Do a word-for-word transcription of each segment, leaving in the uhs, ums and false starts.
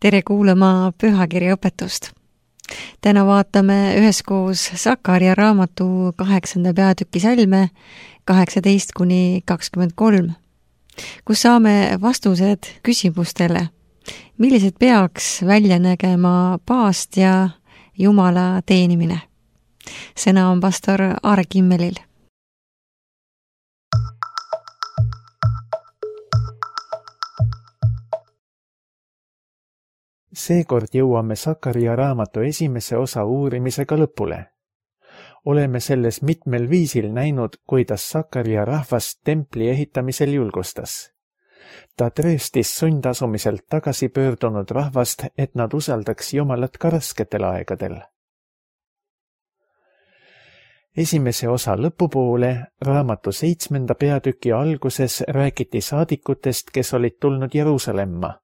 tere kuulama pühakirja õpetust. Täna vaatame üheskoos Sakaria raamatu kaheksanda peatüki salme kaheksateist kuni kakskümmend kolm, kus saame vastused küsimustele, millised peaks välja nägema paast ja Jumala teenimine. Sõna on pastor Aare Kimmelil. Seekord jõuame Sakaria raamatu esimese osa uurimisega lõpule. Oleme selles mitmel viisil näinud, kuidas Sakaria rahvast templi ehitamisel julgustas. Ta trööstis sundasumiselt tagasi pöördunud rahvast, et nad usaldaks Jumalat ka rasketel aegadel. Esimese osa lõpupoole, raamatu seitsmenda peatüki alguses räägiti saadikutest, kes olid tulnud Jeruusalemma.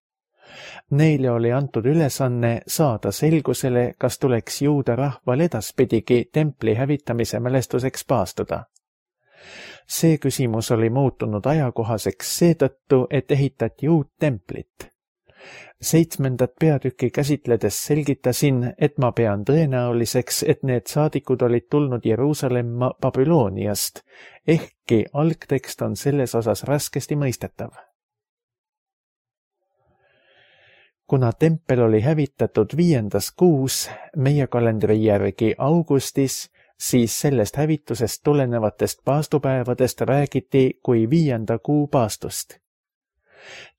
Neile oli antud ülesanne saada selgusele, kas tuleks juuda rahval edaspidigi templi hävitamise mälestuseks paastuda. See küsimus oli muutunud ajakohaseks seetõttu, et ehitati uut templit. Seitsmendat peatükki käsitledes selgitasin, et ma pean tõenäoliseks, et need saadikud olid tulnud Jeruusalemma Babyloniast, ehkki algtekst on selles osas raskesti mõistetav. Kuna tempel oli hävitatud viiendas kuus, meie kalendri järgi augustis, siis sellest hävitusest tulenevatest paastupäevadest räägiti kui viienda kuu paastust.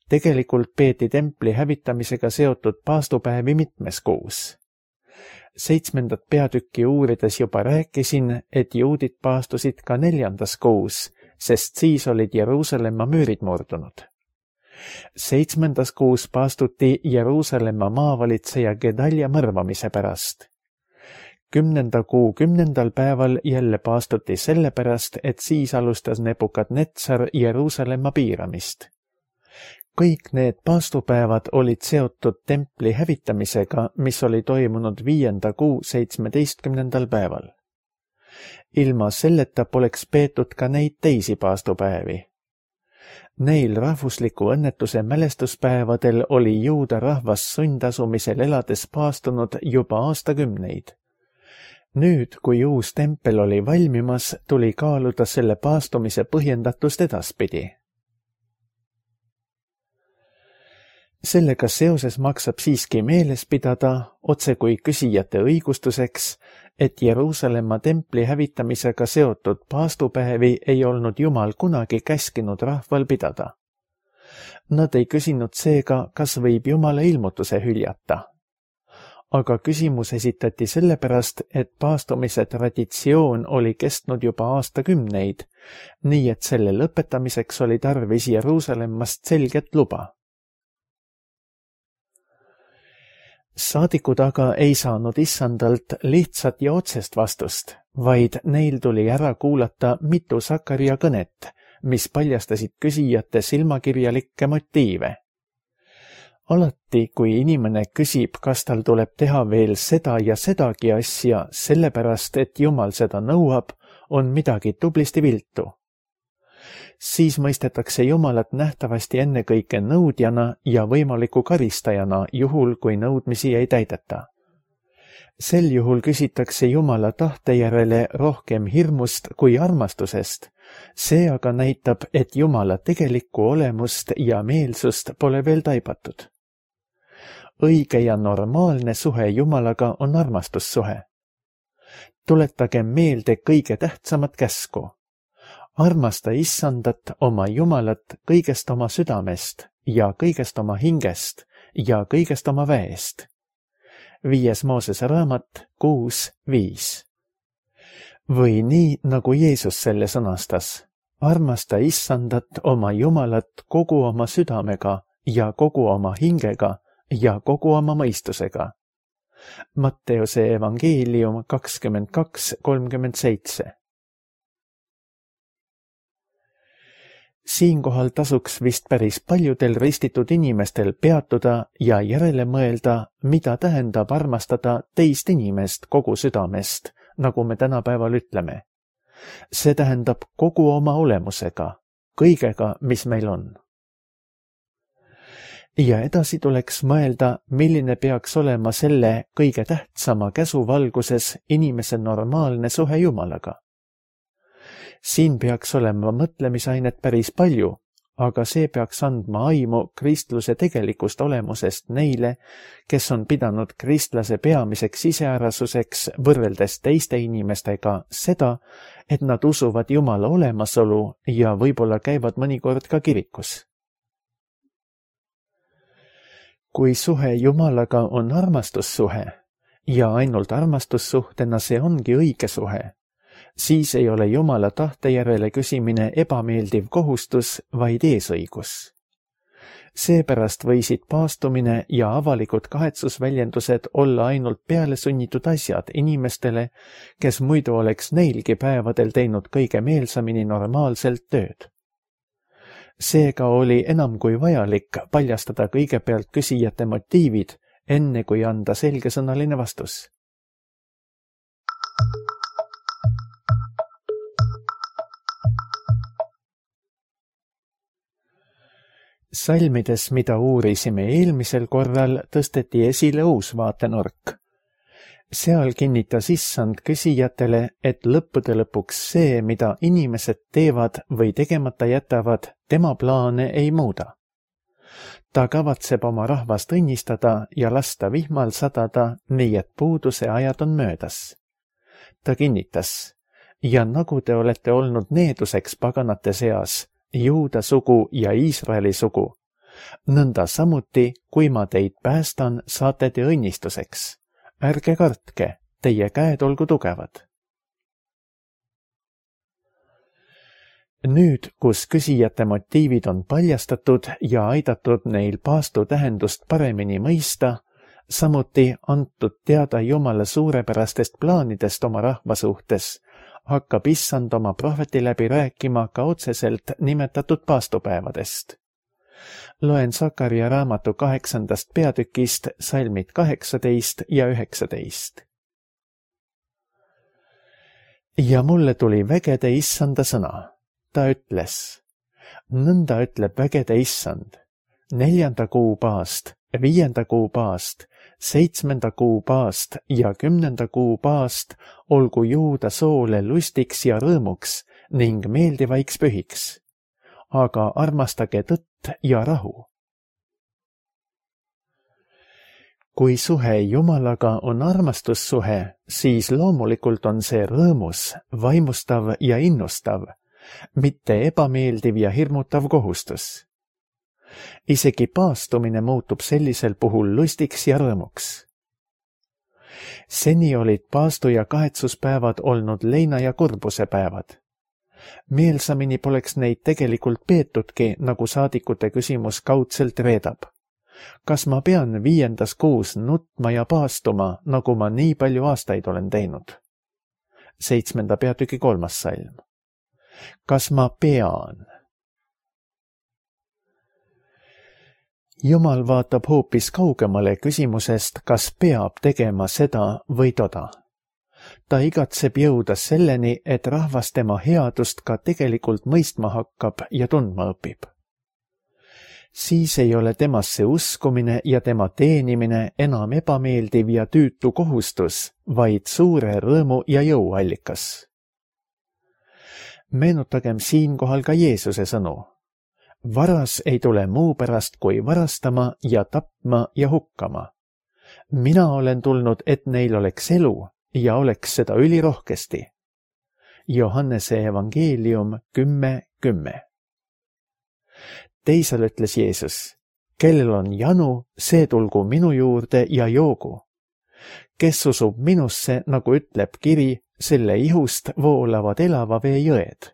Tegelikult peeti templi hävitamisega seotud paastupäevi mitmes kuus. Seitsmendat peatükki uurides juba rääkisin, et juudid paastusid ka neljandas kuus, sest siis olid Jeruusalemma müürid murdunud. Seitsmendas kuus paastuti Jeruusalemma maavalitseja Gedalja mõrvamise pärast. Kümnenda kuu kümnendal päeval jälle paastuti selle pärast, et siis alustas Nebukadnetsar Jeruusalemma piiramist. Kõik need paastupäevad olid seotud templi hävitamisega, mis oli toimunud viienda kuu seitsmeteistkümnendal päeval. Ilma selleta poleks peetud ka neid teisi paastupäevi. Neil rahvusliku õnnetuse mälestuspäevadel oli juuda rahvas sundasumisel elades paastunud juba aastakümneid. Nüüd, kui uus tempel oli valmimas, tuli kaaluda selle paastumise põhjendatust edaspidi. Sellega seoses maksab siiski meeles pidada, otse kui küsijate õigustuseks, et Jeruusalemma templi hävitamisega seotud paastupäevi ei olnud Jumal kunagi käskinud rahval pidada. Nad ei küsinud seega, kas võib Jumala ilmutuse hüljata. Aga küsimus esitati sellepärast, et paastumise traditsioon oli kestnud juba aastakümneid, nii et selle lõpetamiseks oli tarvis Jeruusalemmast selget luba. Saadikud aga ei saanud issandalt lihtsat ja otsest vastust, vaid neil tuli ära kuulata mitu Sakaria kõnet, mis paljastasid küsijate silmakirjalikke motiive. Alati, kui inimene küsib, kas tal tuleb teha veel seda ja sedagi asja, sellepärast, et Jumal seda nõuab, on midagi tublisti viltu. Siis mõistetakse Jumalat nähtavasti ennekõike nõudjana ja võimaliku karistajana juhul, kui nõudmisi ei täideta. Sel juhul küsitakse Jumala tahte järele rohkem hirmust kui armastusest. See aga näitab, et Jumala tegelikku olemust ja meelsust pole veel taibatud. Õige ja normaalne suhe Jumalaga on armastussuhe. Tuletagem meelde kõige tähtsamat käsku. Armasta issandat, oma Jumalat, kõigest oma südamest ja kõigest oma hingest ja kõigest oma väest. Viies Moosese raamat kuus viis. Või nii, nagu Jeesus selle sõnastas. Armasta issandat, oma Jumalat kogu oma südamega ja kogu oma hingega ja kogu oma mõistusega. Matteuse evangeelium kakskümmend kaks kolmkümmend seitse. Siinkohal tasuks vist päris paljudel ristitud inimestel peatuda ja järele mõelda, mida tähendab armastada teist inimest kogu südamest, nagu me tänapäeval ütleme. See tähendab kogu oma olemusega, kõigega, mis meil on. ja edasi tuleks mõelda, milline peaks olema selle kõige tähtsama käsu valguses inimese normaalne suhe Jumalaga. Siin peaks olema mõtlemisainet päris palju, aga see peaks andma aimu kristluse tegelikust olemusest neile, kes on pidanud kristlase peamiseks iseärasuseks võrreldes teiste inimestega seda, et nad usuvad Jumala olemasolu ja võib-olla käivad mõnikord ka kirikus. Kui suhe Jumalaga on armastussuhe ja ainult armastussuhtena see ongi õige suhe, siis ei ole Jumala tahte järele küsimine ebameeldiv kohustus, vaid eesõigus. Seepärast võisid paastumine ja avalikud kahetsusväljendused olla ainult pealesunnitud asjad inimestele, kes muidu oleks neilgi päevadel teinud kõige meelsamini normaalselt tööd. Seega oli enam kui vajalik paljastada kõigepealt küsijate motiivid, enne kui anda selgesõnaline vastus. Salmides, mida uurisime eelmisel korral, tõsteti esile uus vaatenurk. Seal kinnitas issand küsijatele, et lõppude lõpuks see, mida inimesed teevad või tegemata jätavad, tema plaane ei muuda. Ta kavatseb oma rahvast õnnistada ja lasta vihmal sadada, nii et puuduse ajad on möödas. Ta kinnitas, ja nagu te olete olnud needuseks paganate seas, Juuda sugu ja Iisraeli sugu, nõnda samuti, kui ma teid päästan, saate te õnnistuseks. Ärge kartke, teie käed olgu tugevad. Nüüd, kus küsijate motiivid on paljastatud ja aidatud neil paastu tähendust paremini mõista, samuti antud teada Jumala suurepärastest plaanidest oma rahva suhtes, hakkab issand oma prohveti läbi rääkima ka otseselt nimetatud paastupäevadest. Loen Sakaria raamatu kaheksandast peatükist salmid kaheksateist ja üheksateist. Ja mulle tuli vägede issanda sõna. Ta ütles, nõnda ütleb vägede issand, neljanda kuu paast, viienda kuu paast, seitsmenda kuu paast ja kümnenda kuu paast olgu Juuda soole lustiks ja rõõmuks ning meeldivaiks pühiks. Aga armastage tõtt ja rahu. Kui suhe Jumalaga on armastussuhe, siis loomulikult on see rõõmus, vaimustav ja innustav, mitte ebameeldiv ja hirmutav kohustus. Isegi paastumine muutub sellisel puhul lustiks ja rõõmuks. Seni olid paastu- ja kahetsuspäevad olnud leina- ja kurbuse päevad. Meelsamini poleks neid tegelikult peetudki, nagu saadikute küsimus kaudselt reedab. Kas ma pean viiendas kuus nutma ja paastuma, nagu ma nii palju aastaid olen teinud? Seitsmenda peatüki kolmas salm. Kas ma pean? Jumal vaatab hoopis kaugemale küsimusest, kas peab tegema seda või toda. Ta igatseb jõuda selleni, et rahvas tema headust ka tegelikult mõistma hakkab ja tundma õpib. Siis ei ole temasse uskumine ja tema teenimine enam ebameeldiv ja tüütu kohustus, vaid suure rõõmu ja jõuallikas. Meenutagem siinkohal ka Jeesuse sõnu. Varas ei tule muu pärast kui varastama ja tapma ja hukkama. Mina olen tulnud, et neil oleks elu ja oleks seda ülirohkesti. Johannese evangeelium kümme kümme. Teisel ütles Jeesus, kellel on janu, see tulgu minu juurde ja joogu. Kes usub minusse, nagu ütleb kiri, selle ihust voolavad elava vee jõed.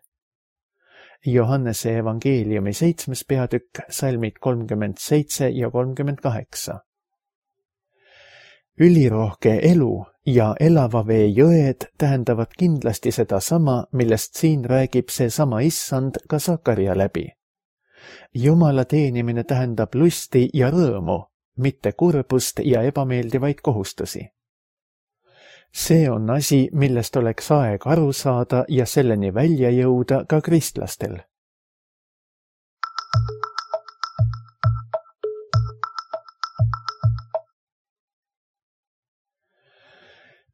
Johannese evangeeliumi seitsmes peatükk, salmid kolmkümmend seitse ja kolmkümmend kaheksa. Ülirohke elu ja elava vee jõed tähendavad kindlasti seda sama, millest siin räägib see sama issand ka Sakaria läbi. Jumala teenimine tähendab lusti ja rõõmu, mitte kurbust ja ebameeldivaid kohustusi. See on asi, millest oleks aeg aru saada ja selleni välja jõuda ka kristlastel.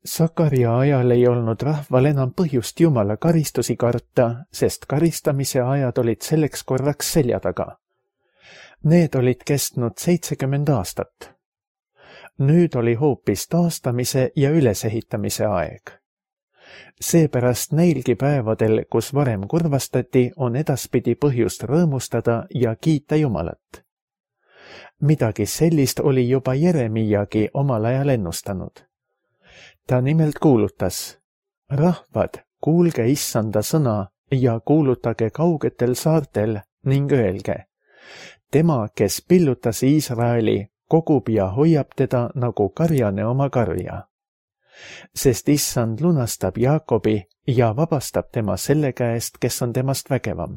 Sakaria ajal ei olnud rahval enam põhjust Jumala karistusi karta, sest karistamise ajad olid selleks korraks selja taga. Need olid kestnud seitsekümmend aastat. Nüüd oli hoopis taastamise ja ülesehitamise aeg. Seepärast neilgi päevadel, kus varem kurvastati, on edaspidi põhjust rõõmustada ja kiita Jumalat. Midagi sellist oli juba Jeremiagi omal ajal ennustanud. Ta nimelt kuulutas: rahvad, kuulge issanda sõna ja kuulutage kaugetel saartel ning öelge: tema, kes pillutas Iisraeli, kogub ja hoiab teda nagu karjane oma karja. Sest issand lunastab Jaakobi ja vabastab tema selle käest, kes on temast vägevam.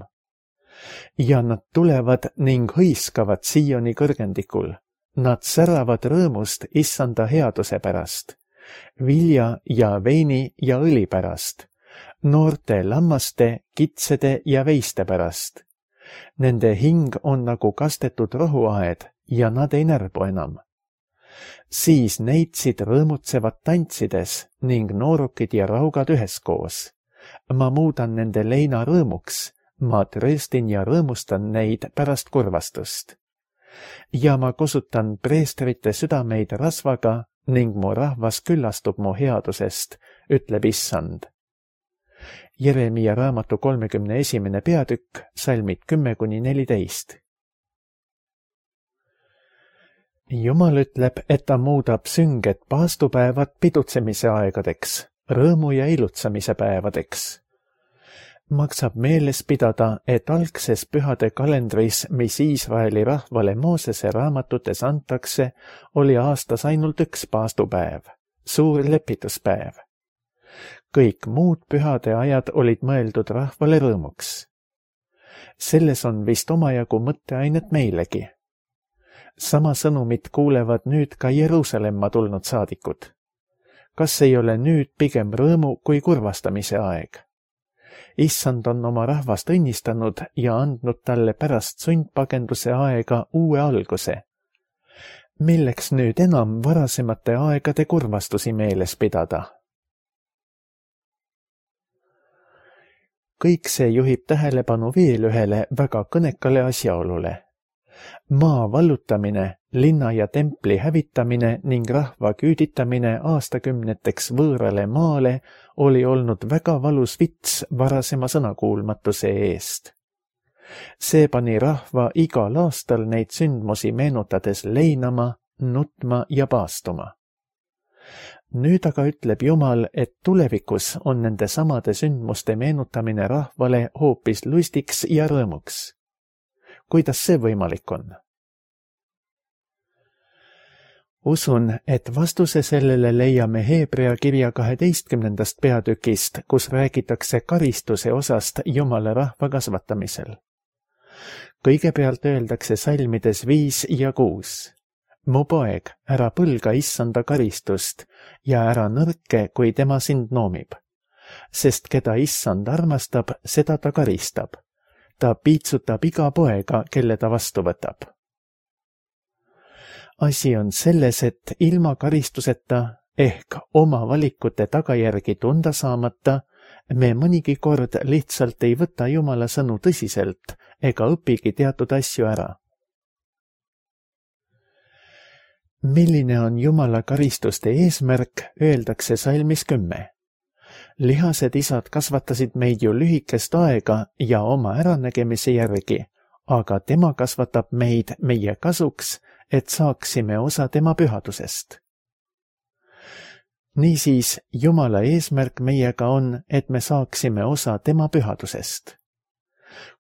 Ja nad tulevad ning hõiskavad Sioni kõrgendikul. Nad säravad rõõmust issanda headuse pärast, vilja ja veini ja õli pärast, noorte lammaste, kitsede ja veiste pärast. Nende hing on nagu kastetud rohuaed ja nad ei närbu enam. Siis neitsid rõõmutsevad tantsides ning noorukid ja raugad üheskoos. Ma muudan nende leina rõõmuks, ma trööstin ja rõõmustan neid pärast kurvastust. Ja ma kosutan preestrite südameid rasvaga ning mu rahvas küllastub mu headusest, ütleb issand. Jeremia raamatu kolmekümne esimene peatükk, salmid kümme kuni neliteist. Jumal ütleb, et ta muudab sünged paastupäevad pidutsemise aegadeks, rõõmu ja ilutsemise päevadeks. Maksab meeles pidada, et algses pühade kalendris, mis Iisraeli rahvale Moosese raamatutes antakse, oli aastas ainult üks paastupäev, suur lepituspäev. Kõik muud pühade ajad olid mõeldud rahvale rõõmuks. Selles on vist omajagu mõtteainet meilegi. Sama sõnumit kuulevad nüüd ka Jeruusalemma tulnud saadikud. Kas ei ole nüüd pigem rõõmu kui kurvastamise aeg? Issand on oma rahvast õnnistanud ja andnud talle pärast sundpagenduse aega uue alguse. Milleks nüüd enam varasemate aegade kurvastusi meeles pidada? Kõik see juhib tähelepanu veel ühele väga kõnekale asjaolule. Maa vallutamine, linna ja templi hävitamine ning rahva küüditamine aastakümneteks võõrale maale oli olnud väga valus vits varasema sõnakuulmatuse eest. See pani rahva igal aastal neid sündmusi meenutades leinama, nutma ja paastuma. Nüüd aga ütleb Jumal, et tulevikus on nende samade sündmuste meenutamine rahvale hoopis lustiks ja rõõmuks. Kuidas see võimalik on? Usun, et vastuse sellele leiame Heebrea kirja kaheteistkümnendast peatükist, kus räägitakse karistuse osast Jumala rahva kasvatamisel. Kõigepealt öeldakse salmides viis ja kuus. Mu poeg, ära põlga issanda karistust ja ära nõrke, kui tema sind noomib. Sest keda issand armastab, seda ta karistab. Ta piitsutab iga poega, kelle ta vastu võtab. Asi on selles, et ilma karistuseta ehk oma valikute tagajärgi tunda saamata, me mõnigi kord lihtsalt ei võta Jumala sõnu tõsiselt ega õpigi teatud asju ära. Milline on Jumala karistuste eesmärk, öeldakse salmis kümme. Lihased isad kasvatasid meid ju lühikest aega ja oma äranägemise järgi, aga tema kasvatab meid meie kasuks, et saaksime osa tema pühadusest. Niisiis, Jumala eesmärk meiega on, et me saaksime osa tema pühadusest.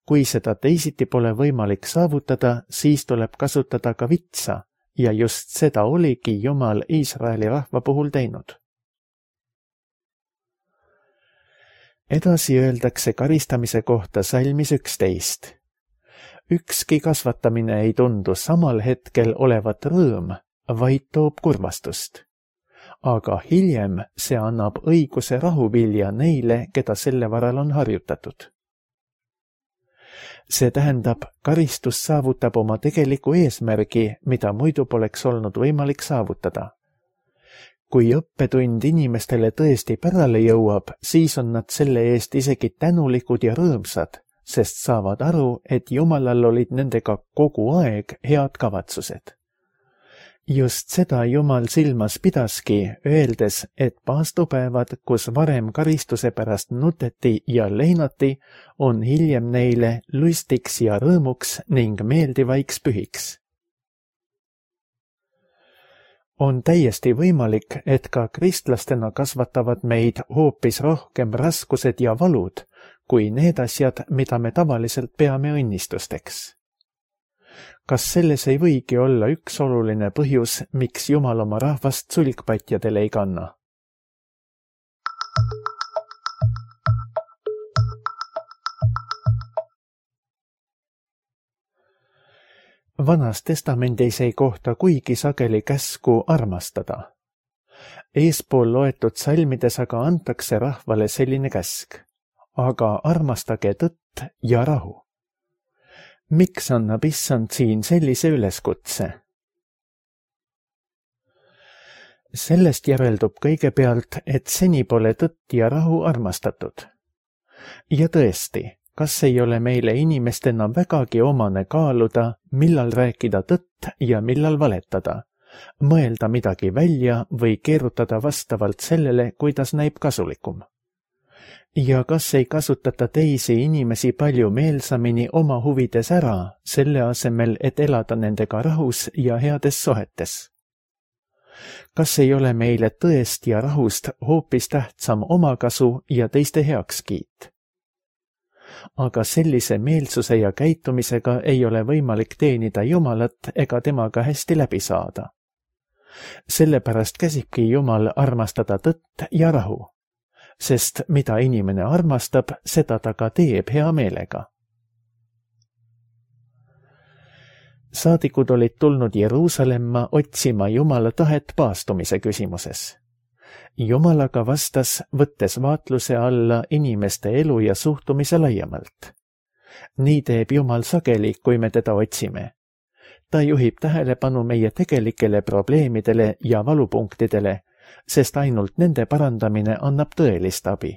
Kui seda teisiti pole võimalik saavutada, siis tuleb kasutada ka vitsa ja just seda oligi Jumal Iisraeli rahva puhul teinud. Edasi öeldakse karistamise kohta salmis üksteist. Ükski kasvatamine ei tundu samal hetkel olevat rõõm, vaid toob kurvastust. Aga hiljem see annab õiguse rahuvilja neile, keda selle varal on harjutatud. See tähendab, karistus saavutab oma tegeliku eesmärgi, mida muidu poleks olnud võimalik saavutada. kui õppetund inimestele tõesti pärale jõuab, siis on nad selle eest isegi tänulikud ja rõõmsad, sest saavad aru, et Jumalal olid nendega kogu aeg head kavatsused. Just seda Jumal silmas pidaski, öeldes, et paastupäevad, kus varem karistuse pärast nuteti ja leinati, on hiljem neile lustiks ja rõõmuks ning meeldivaiks pühiks. On täiesti võimalik, et ka kristlastena kasvatavad meid hoopis rohkem raskused ja valud, kui need asjad, mida me tavaliselt peame õnnistusteks. Kas selles ei võigi olla üks oluline põhjus, miks Jumal oma rahvast sulgpatjadele ei kanna? Vanas testamendis ei kohta kuigi sageli käsku armastada. Eespool loetud salmides aga antakse rahvale selline käsk, aga armastage tõtt ja rahu. Miks annab Issand siin sellise üleskutse? Sellest järeldub kõigepealt, et seni pole tõtt ja rahu armastatud. Ja tõesti, kas ei ole meile inimestena vägagi omane kaaluda, millal rääkida tõtt ja millal valetada, mõelda midagi välja või keerutada vastavalt sellele, kuidas näib kasulikum? Ja kas ei kasutata teisi inimesi palju meelsamini oma huvides ära, selle asemel, et elada nendega rahus ja heades sohetes? Kas ei ole meile tõest ja rahust hoopis tähtsam omakasu ja teiste heakskiit? Aga sellise meelsuse ja käitumisega ei ole võimalik teenida Jumalat ega temaga hästi läbi saada. Sellepärast käsibki Jumal armastada tõtt ja rahu, sest mida inimene armastab, seda ta ka teeb hea meelega. Saadikud olid tulnud Jeruusalemma otsima Jumala tahet paastumise küsimuses. Jumal aga vastas, võttes vaatluse alla inimeste elu ja suhtumise laiemalt. Nii teeb Jumal sageli, kui me teda otsime. Ta juhib tähelepanu meie tegelikele probleemidele ja valupunktidele, sest ainult nende parandamine annab tõelist abi.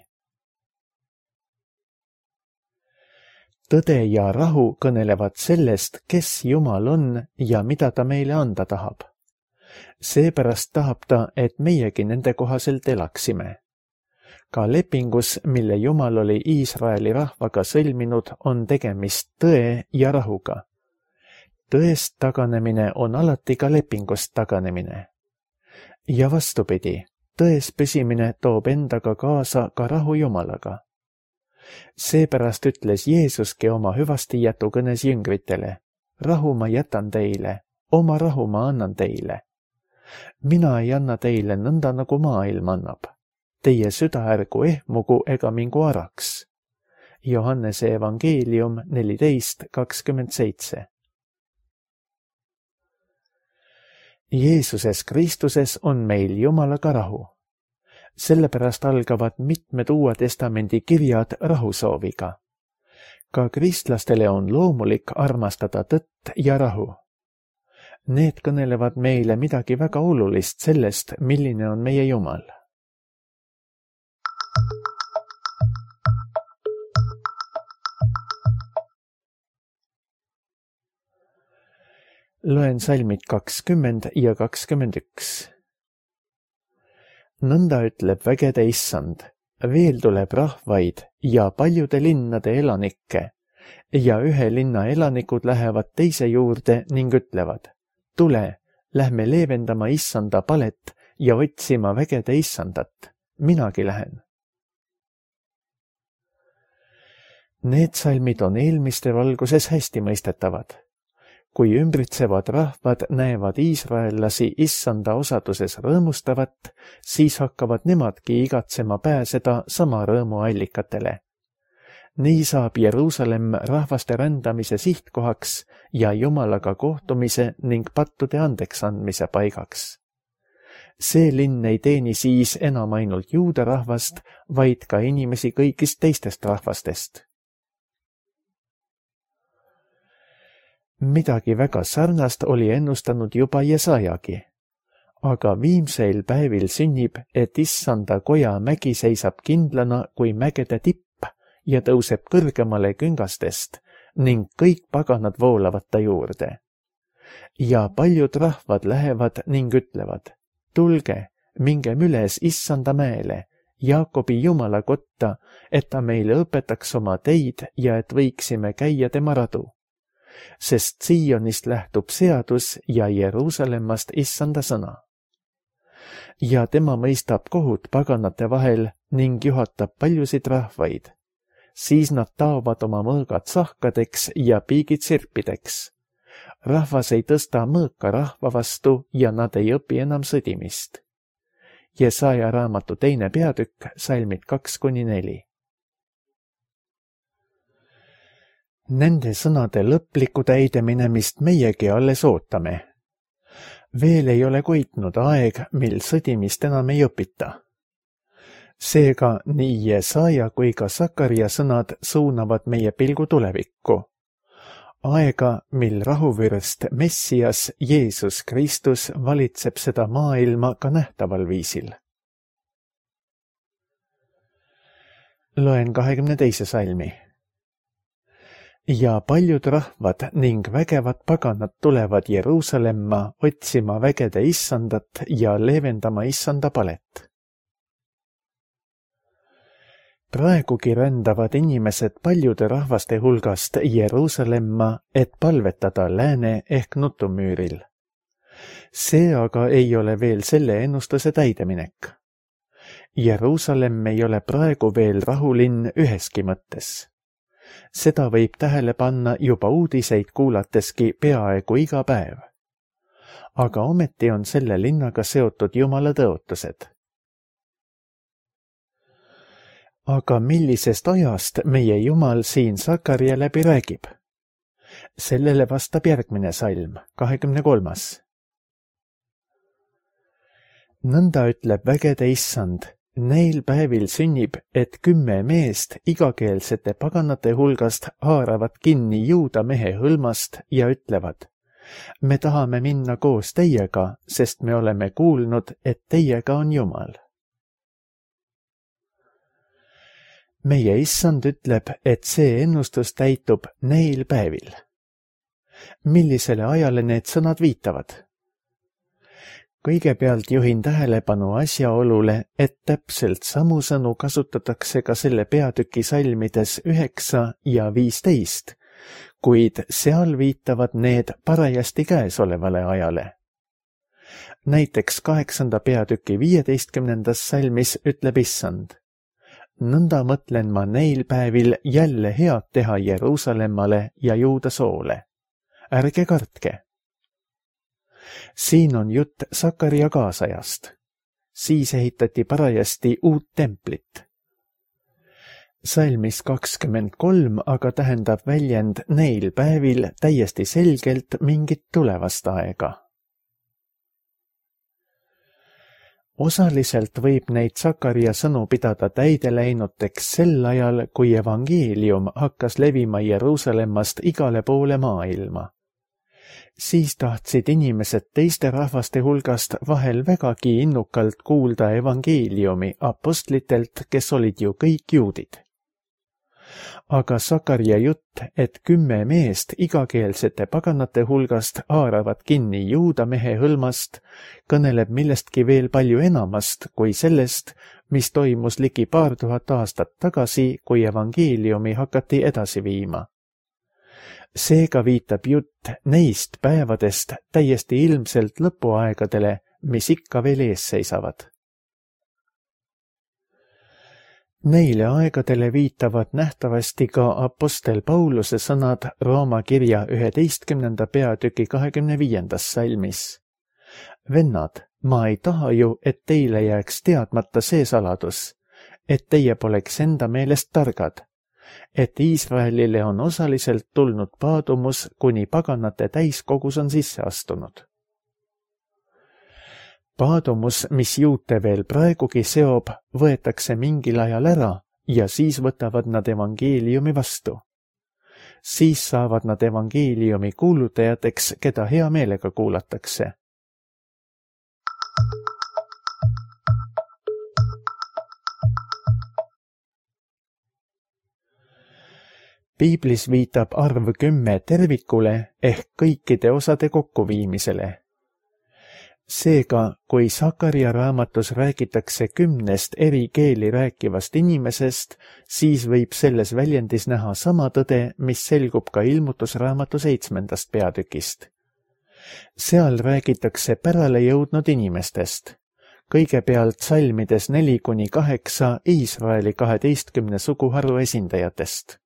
Tõde ja rahu kõnelevad sellest, kes Jumal on ja mida ta meile anda tahab. Seepärast tahab ta, et meiegi nende kohaselt elaksime. Ka lepingus, mille Jumal oli Iisraeli rahvaga sõlminud, on tegemist tõe ja rahuga. Tõest taganemine on alati ka lepingust taganemine. Ja vastupidi, tões püsimine toob endaga kaasa ka rahu Jumalaga. Seepärast ütles Jeesuski oma hüvasti jätukõnes jüngritele, rahu ma jätan teile, oma rahu ma annan teile. Mina ei anna teile nõnda, nagu maailm annab. Teie süda ärgu ehmugu ega mingu araks. Johannese evangeelium neliteist kakskümmend seitse. Jeesuses Kristuses on meil Jumalaga rahu. Sellepärast algavad mitmed Uue Testamendi kirjad rahusooviga. Ka kristlastele on loomulik armastada tõtt ja rahu. Need kõnelevad meile midagi väga olulist sellest, milline on meie Jumal. Loen salmid kakskümmend ja kakskümmend üks. Nõnda ütleb vägede Issand, veel tuleb rahvaid ja paljude linnade elanikke, ja ühe linna elanikud lähevad teise juurde ning ütlevad, tule, lähme leevendama Issanda palet ja otsima vägede Issandat, minagi lähen. Need salmid on eelmiste valguses hästi mõistetavad. Kui ümbritsevad rahvad näevad iisraellasi Issanda osaduses rõõmustavat, siis hakkavad nemadki igatsema pääseda sama rõõmu allikatele. Nii saab Jeruusalemm rahvaste rändamise sihtkohaks ja Jumalaga kohtumise ning pattude andeks andmise paigaks. See linn ei teeni siis enam ainult juuda rahvast, vaid ka inimesi kõigist teistest rahvastest. Midagi väga sarnast oli ennustanud juba Jesajagi. aga viimseil päevil sünnib, et issanda koja mägi seisab kindlana kui mägede tipp ja tõuseb kõrgemale küngastest ning kõik paganad voolavad ta juurde. Ja paljud rahvad lähevad ning ütlevad, tulge, mingem üles issanda mäele, Jaakobi Jumala kotta, et ta meile õpetaks oma teid ja et võiksime käia tema radu. Sest Siionist lähtub seadus ja Jeruusalemmast issanda sõna. Ja tema mõistab kohut paganate vahel ning juhatab paljusid rahvaid. Siis nad taovad oma mõõgad sahkadeks ja piigid sirpideks. Rahvas ei tõsta mõõka rahva vastu ja nad ei õpi enam sõdimist. Jesaja raamatu teine peatükk, salmid kaks kuni neli. Nende sõnade lõplikku täideminemist meiegi alles ootame. Veel ei ole koitnud aeg, mil sõdimist enam ei õpita. Seega nii Jesaja kui ka Sakaria sõnad suunavad meie pilgu tulevikku. Aega, mil rahuvürst Messias Jeesus Kristus valitseb seda maailma ka nähtaval viisil. Loen kahekümne teise salmi. Ja paljud rahvad ning vägevad paganad tulevad Jeruusalemma otsima vägede issandat ja leevendama issanda palet. Praegugi rändavad inimesed paljude rahvaste hulgast Jeruusalemma, et palvetada lääne ehk nutumüüril. See aga ei ole veel selle ennustuse täideminek. Jeruusalemm ei ole praegu veel rahulinn üheski mõttes. Seda võib tähele panna juba uudiseid kuulateski peaaegu iga päev. Aga ometi on selle linnaga seotud Jumala tõotused. Aga millisest ajast meie Jumal siin Sakaria läbi räägib? Sellele vastab järgmine salm, kahekümne kolmas. Nõnda ütleb vägede issand, neil päevil sünnib, et kümme meest igakeelsete paganate hulgast haaravad kinni juuda mehe hõlmast ja ütlevad, me tahame minna koos teiega, sest me oleme kuulnud, et teiega on Jumal. Meie issand ütleb, et see ennustus täitub neil päevil. Millisele ajale need sõnad viitavad? Kõigepealt juhin tähelepanu asjaolule, et täpselt samu sõnu kasutatakse ka selle peatüki salmides üheksa ja viisteist, kuid seal viitavad need parajasti käesolevale ajale. Näiteks kaheksanda peatüki viieteistkümnendas salmis ütleb issand, nõnda mõtlen ma neil päevil jälle head teha Jeruusalemmale ja Juuda soole. Ärge kartke. Siin on jutt Sakaria kaasajast. Siis ehitati parajasti uut templit. Salmis kakskümmend kolm aga tähendab väljend neil päevil täiesti selgelt mingit tulevast aega. Osaliselt võib neid Sakaria sõnu pidada täide läinuteks sel ajal, kui evangeelium hakkas levima Jeruusalemmast igale poole maailma. Siis tahtsid inimesed teiste rahvaste hulgast vahel vägagi innukalt kuulda evangeeliumi apostlitelt, kes olid ju kõik juudid. Aga Sakaria jutt, et kümme meest igakeelsete paganate hulgast haaravad kinni juuda mehe hõlmast, kõneleb millestki veel palju enamast kui sellest, mis toimus ligi paar tuhat aastat tagasi, kui evangeeliumi hakati edasi viima. Seega viitab jutt neist päevadest täiesti ilmselt lõpuaegadele, mis ikka veel ees seisavad. Neile aegadele viitavad nähtavasti ka apostel Pauluse sõnad Rooma kirja üheteistkümnenda peatüki kahekümne viiendas salmis. Vennad, ma ei taha ju, et teile jääks teadmata see saladus, et teie poleks enda meelest targad, et Iisraelile on osaliselt tulnud paadumus, kuni paganate täiskogus on sisse astunud. Paadumus, mis juute veel praegugi seob, võetakse mingil ajal ära ja siis võtavad nad evangeeliumi vastu. Siis saavad nad evangeeliumi kuulutajateks, keda hea meelega kuulatakse. Piiblis viitab arv kümme tervikule ehk kõikide osade kokkuviimisele. Seega, kui Sakaria raamatus räägitakse kümnest eri keeli rääkivast inimesest, siis võib selles väljendis näha sama tõde, mis selgub ka ilmutusraamatu seitsmendast peatükist. Seal räägitakse pärale jõudnud inimestest. Kõigepealt salmides neli kuni kaheksa Iisraeli kaheteistkümne suguharu esindajatest.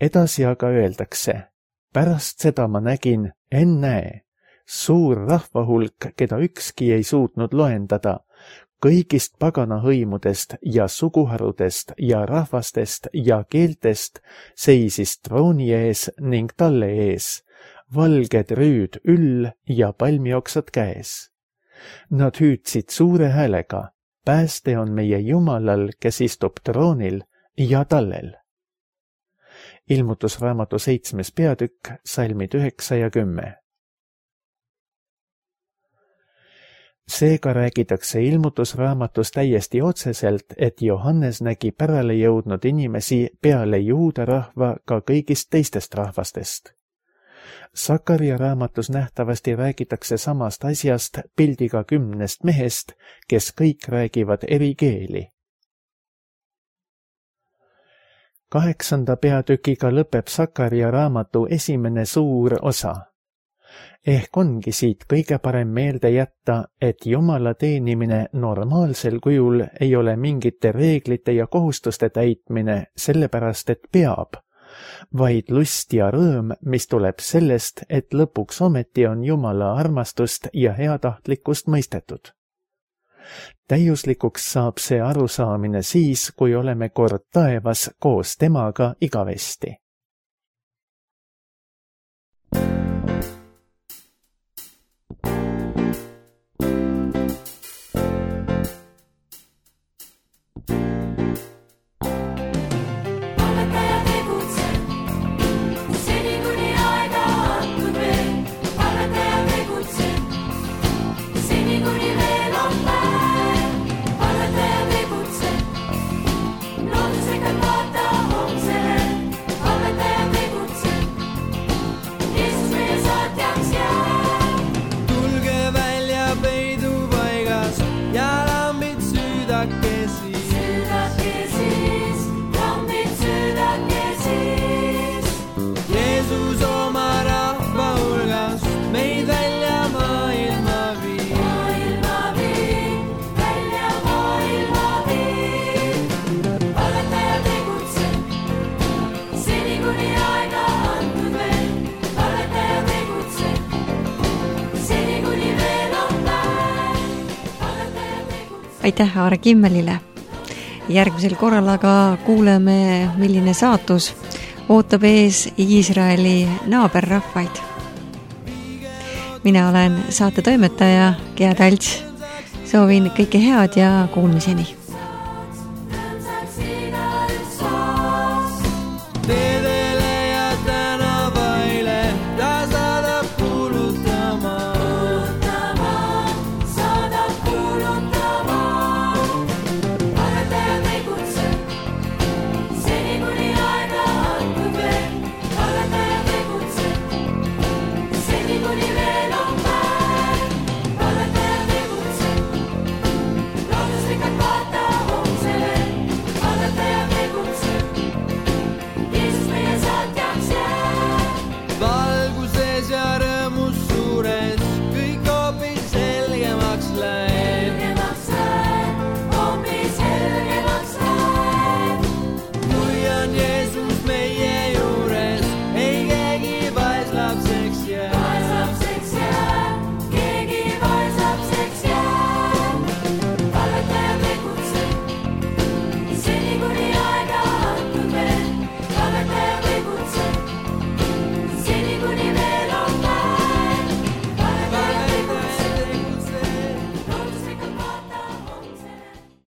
Edasi aga öeldakse, pärast seda ma nägin, ennäe, suur rahvahulk, keda ükski ei suutnud loendada, kõigist pagana hõimudest ja suguharudest ja rahvastest ja keeltest seisis trooni ees ning talle ees, valged rüüd üll ja palmioksad käes. Nad hüüdsid suure häälega, pääste on meie Jumalal, kes istub troonil ja tallel. Ilmutusraamatu seitsmes peatükk, salmid üheksa ja kümme. Seega räägitakse ilmutusraamatus täiesti otseselt, et Johannes nägi pärale jõudnud inimesi peale juuda rahva ka kõigist teistest rahvastest. Sakaria raamatus nähtavasti räägitakse samast asjast pildiga kümnest mehest, kes kõik räägivad eri keeli. Kaheksanda peatükiga lõpeb Sakaria raamatu esimene suur osa. Ehk ongi siit kõige parem meelde jätta, et Jumala teenimine normaalsel kujul ei ole mingite reeglite ja kohustuste täitmine, sellepärast et peab, vaid lust ja rõõm, mis tuleb sellest, et lõpuks ometi on Jumala armastust ja heatahtlikkust mõistetud. Täiuslikuks saab see arusaamine siis, kui oleme kord taevas koos temaga igavesti. Aitäh Aare Kimmelile. Järgmisel korral aga kuuleme, milline saatus ootab ees Iisraeli naaberrahvaid. Mina olen saate toimetaja Gea Talts. Soovin kõike head ja kuulmiseni.